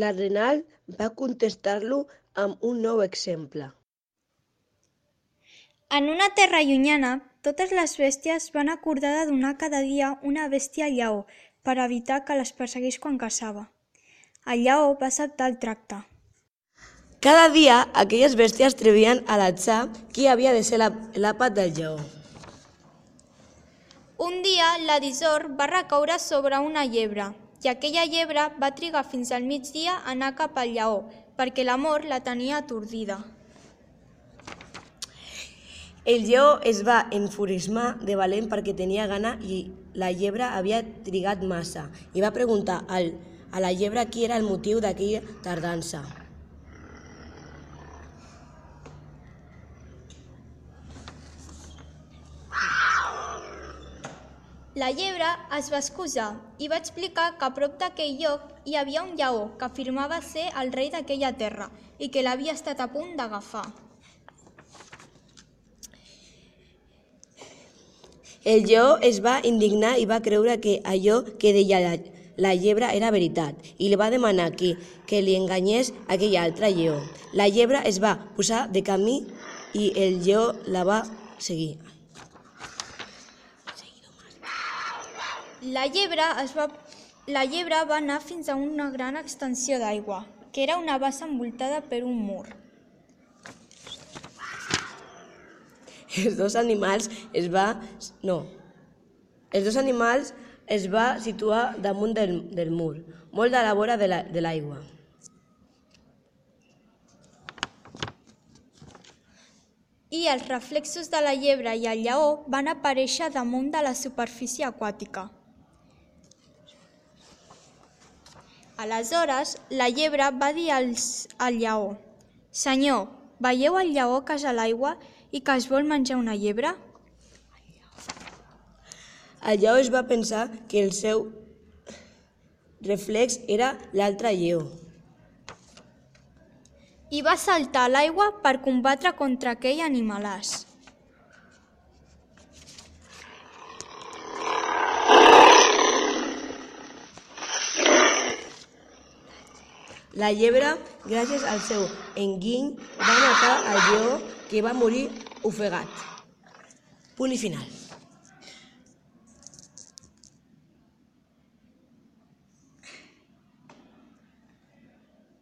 l'arenal va contestar-lo amb un nou exemple. En una terra llunyana, totes les bèsties van acordar de donar cada dia una bèstia al lleó per evitar que les perseguís quan caçava. El lleó va acceptar el tracte. Cada dia, aquelles bèsties trevien a l'atzar qui havia de ser l'àpat del lleó. Un dia, l'Adisor va recaure sobre una llebre, i aquella llebre va trigar fins al migdia a anar cap al lleó, perquè l'amor la tenia atordida. El lleó es va enfurismar de valent perquè tenia gana i la llebre havia trigat massa i va preguntar a la llebre qui era el motiu d'aquella tardança. La llebre es va excusar i va explicar que a prop d'aquell lloc hi havia un lleó que afirmava ser el rei d'aquella terra i que l'havia estat a punt d'agafar. El lleó es va indignar i va creure que allò que deia la llebre era veritat i li va demanar que li enganyés aquell altre lleó. La llebre es va posar de camí i el lleó la va seguir. La llebre va anar fins a una gran extensió d'aigua, que era una bassa envoltada per un mur. Els dos animals es va situar damunt del mur, molt a la vora de l'aigua. I els reflexos de la llebre i el lleó van aparèixer damunt de la superfície aquàtica. Aleshores, la llebre va dir al lleó: «Senyor, veieu el lleó que és a l'aigua i que es vol menjar una llebre?» El lleó es va pensar que el seu reflex era l'altre lleó. I va saltar a l'aigua per combatre contra aquell animalàs. La llebre, gràcies al seu enginy, va matar el lleó que va morir ofegat. Punt i final.